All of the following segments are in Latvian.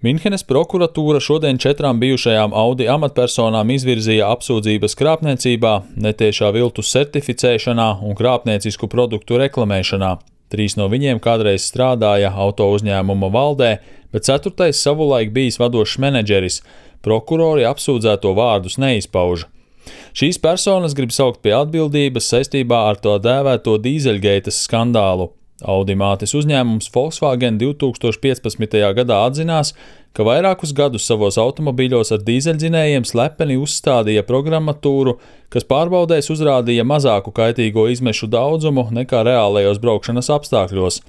Minhenes prokuratūra šodien 4 bijušajām Audi amatpersonām izvirzīja apsūdzības krāpniecībā, netiešā viltus certificēšanā un krāpniecisku produktu reklamēšanā. 3 no viņiem kādreiz strādāja auto uzņēmuma valdē, bet 4. savulaik bijis vadošs menedžeris. Prokurori apsūdzēto vārdus neizpauž. Šīs personas grib saukt pie atbildības saistībā ar to dēvēto dīzeļgeitas skandālu. Audi mātes uzņēmums Volkswagen 2015. gadā atzinās, ka vairākus gadus savos automobīļos ar dīzeļdzinējiem slepeni uzstādīja programmatūru, kas pārbaudēs uzrādīja mazāku kaitīgo izmešu daudzumu nekā reālajos braukšanas apstākļos.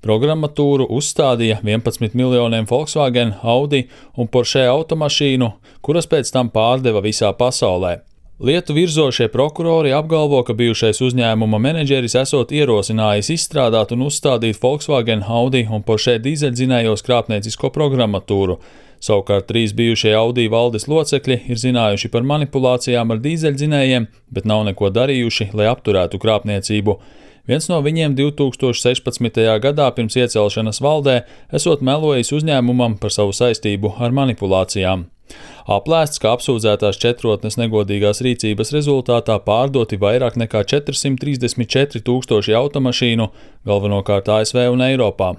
Programmatūru uzstādīja 11 miljoniem Volkswagen, Audi un Porsche automašīnu, kuras pēc tam pārdeva visā pasaulē. Lietu virzošie prokurori apgalvo, ka bijušais uzņēmuma menedžeris esot ierosinājis izstrādāt un uzstādīt Volkswagen, Audi un Porsche dīzeļdzinējos krāpniecisko programmatūru. Savukārt 3 bijušie Audi valdes locekļi ir zinājuši par manipulācijām ar dīzeļdzinējiem, bet nav neko darījuši, lai apturētu krāpniecību. Viens no viņiem 2016. gadā pirms iecelšanas valdē esot melojis uzņēmumam par savu saistību ar manipulācijām. Aplēsts, ka apsūdzētās 4 negodīgās rīcības rezultātā pārdoti vairāk nekā 434 000 automašīnu, galvenokārt ASV un Eiropā.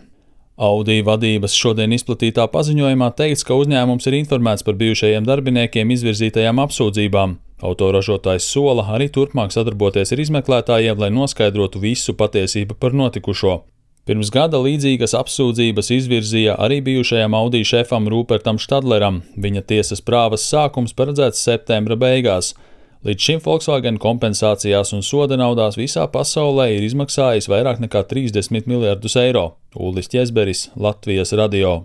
Audi vadības šodien izplatītā paziņojumā teikts, ka uzņēmums ir informēts par bijušajiem darbiniekiem izvirzītajām apsūdzībām. Autoražotājs sola arī turpmāk sadarboties ar izmeklētājiem, lai noskaidrotu visu patiesību par notikušo. Pirms gada līdzīgas apsūdzības izvirzīja arī bijušajam Audi šefam Rupertam Štadleram. Viņa tiesas prāvas sākums paredzēts septembra beigās. Līdz šim Volkswagen kompensācijās un soda naudās visā pasaulē ir izmaksājis vairāk nekā 30 miljardus eiro. Ulris Ķezberis, Latvijas radio.